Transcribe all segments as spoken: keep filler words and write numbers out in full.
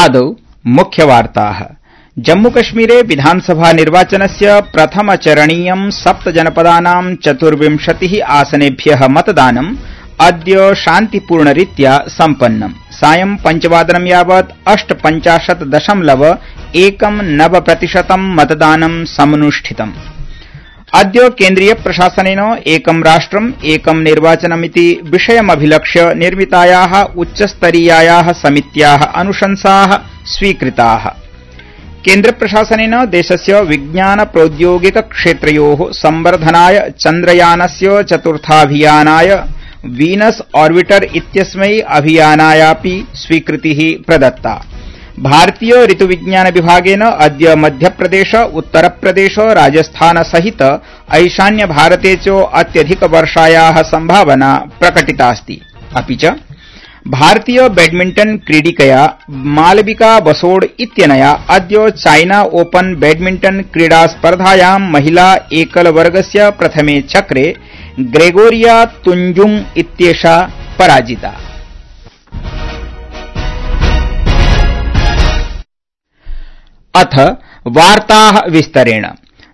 आदौ मुख्यवार्ताः। जम्मूकश्मीरे विधानसभा निर्वाचनस्य प्रथमचरणीयं सप्तजनपदानां चतुर्विंशतिः आसनेभ्यः मतदानम् अद्य शान्तिपूर्णरीत्या सम्पन्नम्। सायं पञ्चवादनं यावत् अष्टपञ्चाशत् दशमलव एकं नव प्रतिशतं मतदानं समनुष्ठितम्। अद्य केन्द्रीय प्रशासनेन एकं राष्ट्रम् एकं निर्वाचनमिति विषयमभिलक्ष्य निर्मितायाः उच्चस्तरीयायाः समित्याः अनुशंसाः स्वीकृताः। केन्द्रप्रशासनेन देशस्य विज्ञान प्रौद्योगिक क्षेत्रयोः संवर्धनाय चन्द्रयानस्य चतुर्थाभियानाय वीनस ऑर्बिटर इत्यस्मै अभियानायापि स्वीकृतिः प्रदत्ता। भारतीय ऋतुविज्ञान विभागेन अद्य मध्यप्रदेश, उत्तरप्रदेश, राजस्थान सहित ईशान्य भारते च अत्यधिकवर्षायाः संभावना प्रकटितास्ति। अपि च भारतीय बैडमिंटन क्रीडिकया मालविका बसोड इत्यनया अद्य चाइना ओपन बैडमिंटन क्रीडा स्पर्धायां महिला एकलवर्गस्य प्रथमे चक्रे ग्रेगोरिया तुंजुंग इत्येषा पराजिता। अथ वार्ताः विस्तरेण।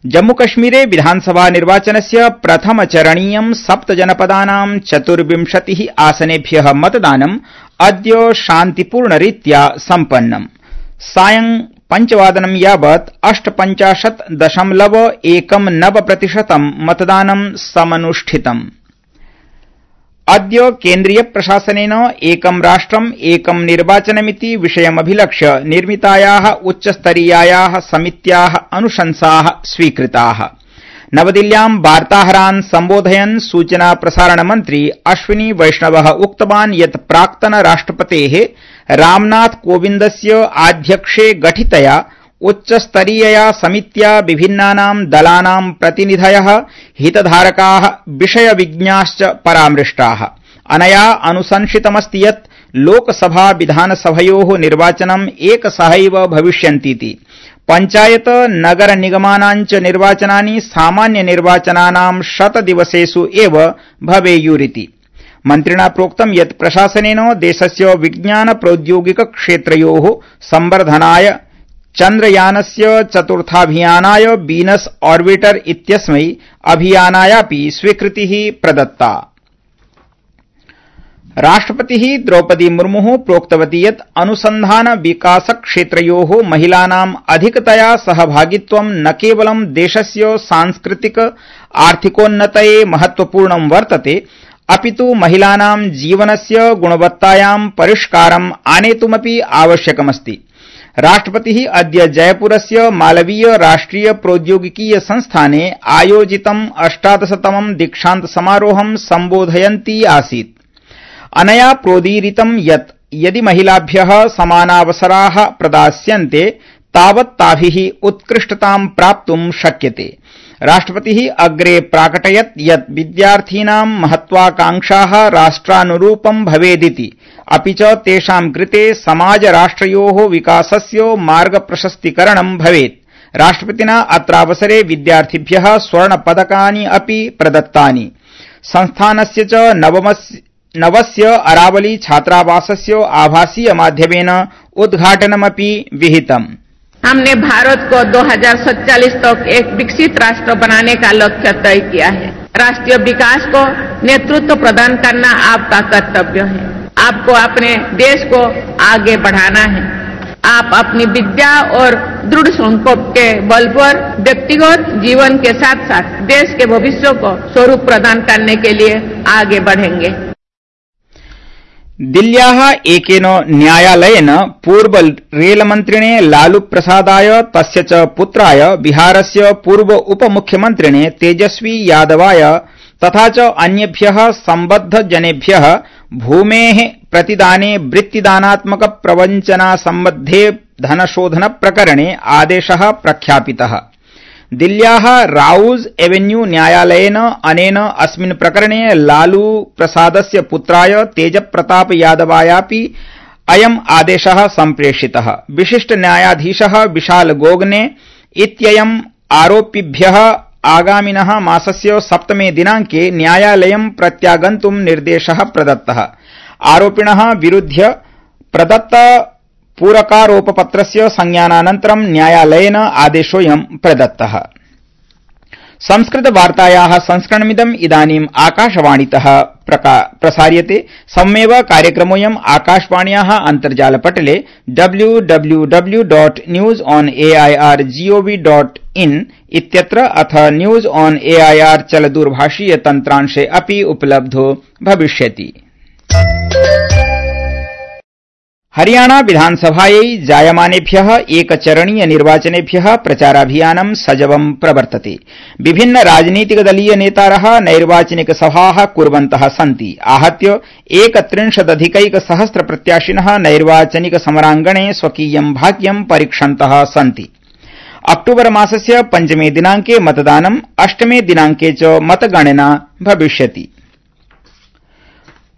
जम्मूकश्मीरे विधानसभा निर्वाचनस्य प्रथमचरणीयं सप्तजनपदानां चतुर्विंशतिः आसनेभ्यः मतदानम् अद्य शान्तिपूर्णरीत्या सम्पन्नम्। सायं पञ्चवादनं यावत् अष्टपञ्चाशत् दशमलव एकं नव प्रतिशतं मतदानं समनुष्ठितम्। अद्य केन्द्रीय प्रशासनेन एकं राष्ट्रम् एकं निर्वाचनमिति विषयमभिलक्ष्य निर्मितायाः उच्चस्तरीयायाः समित्याः अनुशंसाः स्वीकृताः। नवदिल्ल्यां वार्ताहरान् सम्बोधयन् सूचना प्रसारण मन्त्री अश्विनी वैष्णवः उक्तवान् यत् प्राक्तन राष्ट्रपतेः रामनाथ कोविन्दस्य आध्यक्ष्ये गठितया उच्चस्तरीयया समित्या विभिन्नानां दलानां प्रतिनिधयः, हितधारकाः, विषयविज्ञाश्च परामृष्टाः। अनया अनुशंसितमस्ति यत् लोकसभा विधानसभयोः निर्वाचनम् एकसहैव भविष्यन्तीति। पञ्चायत नगर निगमानाञ्च निर्वाचनानि सामान्य निर्वाचनानां शतदिवसेषु एव भवेयुरिति। मन्त्रिणा प्रोक्तं यत् प्रशासनेन देशस्य विज्ञान प्रौद्योगिक क्षेत्रयोः संवर्धनाय चन्द्रयानस्य चतुर्थाभियानाय वीनस ऑर्बिटर इत्यस्मै अभियानायापि स्वीकृतिः प्रदत्ता। राष्ट्रपतिः द्रौपदी मुर्मुः प्रोक्तवती यत् अनुसन्धान विकास क्षेत्रयोः महिलानाम् अधिकतया सहभागित्वं न केवलं देशस्य सांस्कृतिक आर्थिकोन्नतये महत्वपूर्णं वर्तते, अपितु महिलानां जीवनस्य गुणवत्तायां परिष्कारम् आनेतुमपि आवश्यकमस्ति। राष्ट्रपतिः अद्य जयपुरस्य मालवीय राष्ट्रिय प्रौद्योगिकीय संस्थाने आयोजितम् अष्टादशतमं दीक्षान्त समारोहं सम्बोधयन्ती आसीत्। अनया प्रोदीरितं यत् यदि महिलाभ्यः समानावसराः प्रदास्यन्ते तावत् ताभिः उत्कृष्टतां प्राप्तुं शक्यते। राष्ट्रपतिः अग्रे प्राकटयत् यत् विद्यार्थीनां महत्वाकांक्षाः राष्ट्रानुरूपं भवेदिति, अपि च तेषां कृते समाजराष्ट्रयोः विकासस्य मार्गप्रशस्तीकरणं भवेत्। राष्ट्रपतिना अत्रावसरे विद्यार्थिभ्यः स्वर्णपदकानि अपि प्रदत्तानि। संस्थानस्य च नवमस्य नवस्य अरावली छात्रावासस्य आभासीय माध्यमेन उद्घाटनमपि विहितम्। हमने भारत को दो हज़ार सैंतालीस तक एक विकसित राष्ट्र बनाने का लक्ष्य तय किया है। राष्ट्रीय विकास को नेतृत्व प्रदान करना आपका कर्तव्य है। आपको अपने देश को आगे बढ़ाना है। आप अपनी विद्या और दृढ़ संकल्प के बल पर व्यक्तिगत जीवन के साथ साथ देश के भविष्य को स्वरूप प्रदान करने के लिए आगे बढ़ेंगे। दिल्ल्याः एकेन न्यायालयेन पूर्व रेलमन्त्रिणे लालू प्रसादाय तस्य च पुत्राय बिहारस्य पूर्व उपमुख्यमन्त्रिणे तेजस्वी यादवाय तथा च अन्येभ्यः सम्बद्धजनेभ्यः भूमेः प्रतिदाने वृत्तिदानात्मक प्रवञ्चना सम्बद्धे धनशोधन प्रकरणे आदेशः प्रख्यापितः। दिल्ल्याः राउज एवेन्यू न्यायालयेन अनेन अस्मिन् प्रकरणे लालू प्रसादस्य पुत्राय तेजप्रताप यादवायापि अयम् आदेशः सम्प्रेषितः। विशिष्ट न्यायाधीशः विशाल गोगने इत्ययम् आरोपिभ्यः आगामिनः मासस्य सप्तमे दिनांके न्यायालयं प्रत्यागन्तुं निर्देशः प्रदत्तः। आरोपिणः विरुध्य प्रदत्त पूरकारोपपत्रस्य संज्ञानानन्तरं न्यायालयेन आदेशोऽयं प्रदत्तः। संस्कृतवार्तायाः संस्करणमिदम् इदानीम् आकाशवाणीतः प्रसार्यते। सममेव कार्यक्रमोऽयम् आकाशवाण्याः अन्तर्जालपटले W W W dot news on AIR GOV dot in इत्यत्र अथ न्यूज ऑन एआईआर चलदूरभाषीय तन्त्रांशे अपि उपलब्धो भविष्यति। हरियाणा विधानसभायै जायमानेभ्यः एकचरणीय निर्वाचनेभ्यः प्रचाराभियानं सजवं प्रवर्तते। विभिन्न राजनीतिकदलीय नेतारः नैर्वाचनिक सभाः कुर्वन्तः सन्ति। आहत्य एकत्रिंशदधिकैकसहस्र प्रत्याशिनः नैर्वाचनिक समराङ्गणे स्वकीयं भाग्यं परीक्षन्तः सन्ति। अक्टूबर मासस्य पञ्चमे दिनाङ्के मतदानं, अष्टमे दिनाङ्के च मतगणना भविष्यति।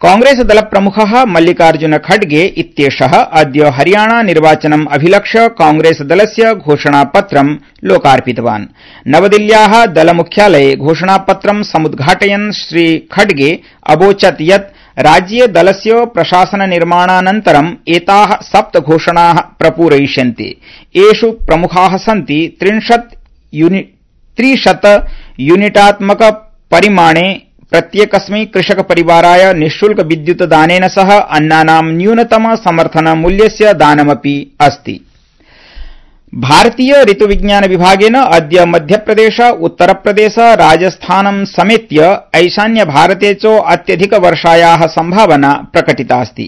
कांग्रेस दल प्रमुखः मल्लिकार्जुन खड़गे इत्येषः अद्य हरियाणा निर्वाचनम् अभिलक्ष्य कांग्रेस दलस्य घोषणापत्रं लोकार्पितवान्। नवदिल्ल्याः दलमुख्यालये घोषणापत्रं समुद्घाटयन् श्री खड़गे अवोचत् यत् राज्ये दलस्य प्रशासन निर्माणानन्तरं एताः सप्त घोषणाः प्रपूरयिष्यन्ते। एषु प्रमुखाः सन्ति त्रिशत यूनिटात्मक परिमाणे प्रत्येकस्मै कृषक परिवाराय निःशुल्क विद्युत दानेन सह अन्नानां न्यूनतम समर्थन मूल्यस्य दानमपि अस्ति। भारतीय ऋतुविज्ञान विभागेन अद्य मध्यप्रदेश, उत्तरप्रदेश, राजस्थानं समेत्य ईशान्य भारते च अत्यधिक वर्षायाः संभावना प्रकटितास्ति।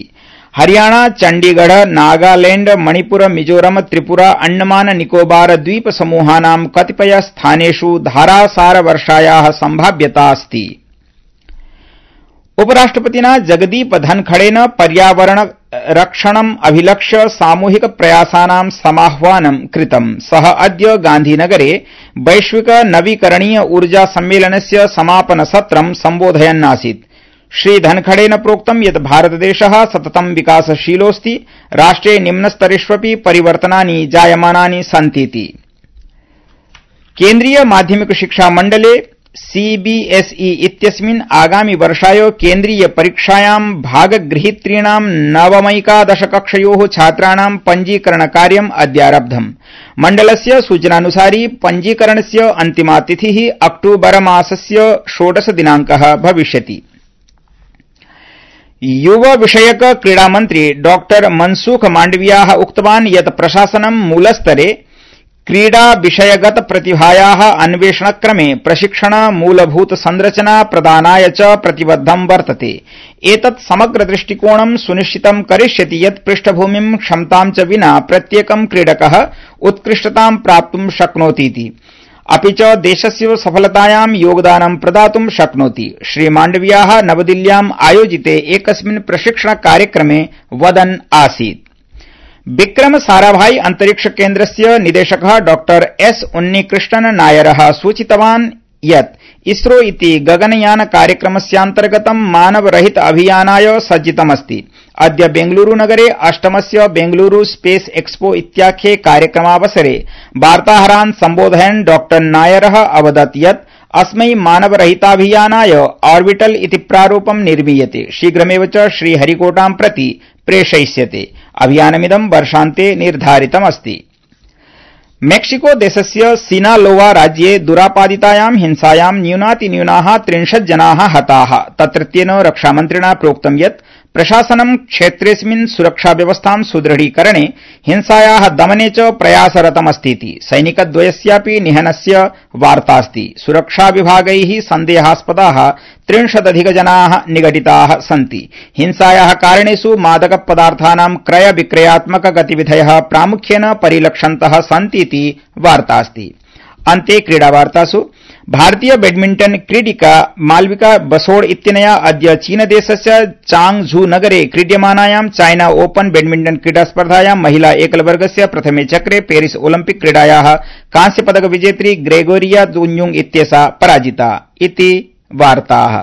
हरियाणा, चण्डीगढ़, नागालैंड, मणिपुर, मिजोरम, त्रिपुरा, अंडमान निकोबार द्वीप समूहानां कतिपय स्थानेषु धारासार वर्षायाः संभाव्यता अस्ति। उपराष्ट्रपतिना जगदीप धनखड़ेन पर्यावरण रक्षणम् अभिलक्ष्य सामूहिक प्रयासानां समाह्वानं कृतम्। सः अद्य गांधीनगरे वैश्विक नवीकरणीय ऊर्जा सम्मेलनस्य समापन सत्रं सम्बोधयन्नासीत्। श्री धनखड़ेन प्रोक्तं यत् भारतदेशः सततं विकासशीलोऽस्ति, राष्ट्रे निम्नस्तरेष्वपि परिवर्तनानि जायमानानि सन्तीति। केन्द्रीय माध्यमिक शिक्षा मण्डले सीबीएसई इत्यस्मिन् आगामि वर्षाय केन्द्रीय परीक्षायां भागगृहीतॄणां नवमैकादश कक्षयोः छात्राणां पञ्जीकरणकार्यम् अद्यारब्धम्। मण्डलस्य सूचनानुसारि पञ्जीकरणस्य अन्तिमा तिथिः अक्टूबर मासस्य षोडश दिनाङ्कः भविष्यति। युव विषयक क्रीडामन्त्री डॉ मनसुख माण्डवियाः उक्तवान् यत् प्रशासनं मूलस्तरे क्रीडा विषयगत प्रतिभायाः अन्वेषणक्रमे प्रशिक्षण, मूलभूत संरचना प्रदानाय च प्रतिबद्धं वर्तते। एतत् समग्र दृष्टिकोणं सुनिश्चितं करिष्यति यत् पृष्ठभूमिं, क्षमतां च विना प्रत्येकं क्रीडकः उत्कृष्टतां प्राप्तुं शक्नोतीति, अपि च देशस्य सफलतायां योगदानं प्रदातुं शक्नोति। श्री माण्डवियाः नवदिल्ल्याम् आयोजिते एकस्मिन् प्रशिक्षण कार्यक्रमे वदन् आसीत्। विक्रम साराभाई अंतरिक्ष केन्द्रस्य निदेशकः डॉ एस उन्नीकृष्णन नायरः सूचितवान् यत् इसरो इति गगनयान कार्यक्रमस्यान्तर्गतं मानवरहित अभियानाय सज्जितमस्ति। अद्य बेंगलुरूनगरे अष्टमस्य बेंगलुरू स्पेस एक्सपो इत्याख्ये कार्यक्रमावसरे वार्ताहरान् सम्बोधयन् डॉ नायरः अवदत् यत् अस्मै मानवरहिताभियानाय ऑर्बिटल इति प्रारूपं निर्मीयते। शीघ्रमेव च श्रीहरिकोटां प्रति प्रेषयिष्यते। अभियानमिदं वर्षान्ते निर्धारितमस्ति। मेक्सिको देशस्य सिनालोवा राज्ये दुरापादितायां हिंसायां न्यूनातिन्यूनाः त्रिंशत् जनाः हताः। तत्रत्येन रक्षामन्त्रिणा प्रोक्तं यत् प्रशासनं क्षेत्रेऽस्मिन् सुरक्षाव्यवस्थां सुदृढीकरणे, हिंसायाः दमने च प्रयासरतमस्तीति। सैनिकद्वयस्यापि निहनस्य वार्तास्ति। सुरक्षाविभागैः सन्देहास्पदाः त्रिंशदधिकजनाः निगडिताः सन्ति। हिंसायाः कारणेषु मादकपदार्थानां क्रय विक्रयात्मक गतिविधयः प्रामुख्येन परिलक्षन्तः सन्तीति वार्तास्ति। अन्ते क्रीडावार्तासु भारतीय बैडमिंटन क्रीडिका मालविका बसोड़ इत्यनया अद्य चीनदेशस्य चांगझू नगरे क्रीड्यमानायां चाइना ओपन बैडमिंटन क्रीडास्पर्धायां महिला एकलवर्गस्य प्रथमे चक्रे पेरिस ओलिम्पिक क्रीडायाः कांस्यपदक विजेत्री ग्रेगोरिया दुन्युंग इत्येषा पराजिता इति वार्ताः।